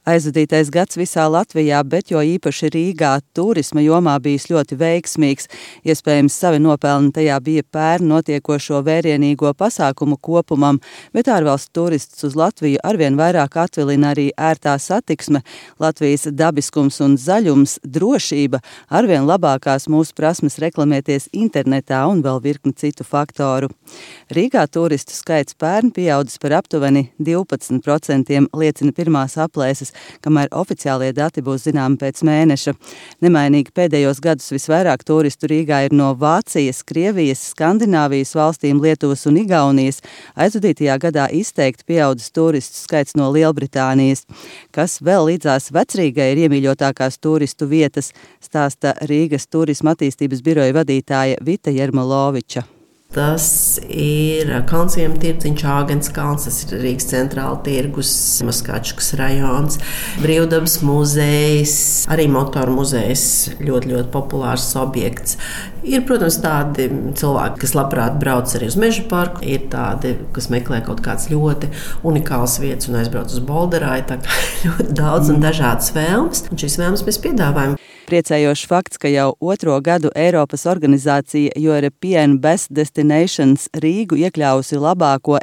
Aizvadītais gads visā Latvijā, bet jo īpaši Rīgā turisma jomā bijis ļoti veiksmīgs. Iespējams, savi nopelni tajā bija pērn notiekošo vērienīgo pasākumu kopumam, bet ārvalstu turistus uz Latviju arvien vairāk atvilina arī ērtā satiksme, Latvijas dabiskums un zaļums, drošība, arvien labākās mūsu prasmes reklamēties internetā un vēl virkni citu faktoru. Rīgā turistu skaits pērn pieaudzis par aptuveni 12%, liecina pirmās aplēses, kamēr oficiālie dati būs zināmi pēc mēneša. Nemainīgi pēdējos gadus visvairāk turistu Rīgā ir no Vācijas, Krievijas, Skandināvijas valstīm, Lietuvas un Igaunijas. Aizvadītajā gadā izteikti pieaudzis turistu skaits no Lielbritānijas. Kas vēl līdzās Vecrīgai ir iemīļotākās turistu vietas, stāsta Rīgas turisma attīstības biroja vadītāja Vita Jermoloviča. Tas ir Kalnciema tirdziņš, Āgenskalns, tas ir Rīgas centrāla tirgus, Maskačkas rajons, Brīvdabas muzejs, arī motoru muzejs, ļoti populārs objekts. Ir, protams, tādi cilvēki, kas labprāt brauc arī uz meža parku, ir tādi, kas meklē kaut kādas ļoti unikālas vietas un aizbrauc uz Bolderāju, tā kā ļoti daudz un dažādas vēlmes, un šīs vēlmes mēs piedāvājam. Priecējošs fakts, ka jau 2. gadu Eiropas organizācija European Best Destinations Rīgu iekļāvusi labāko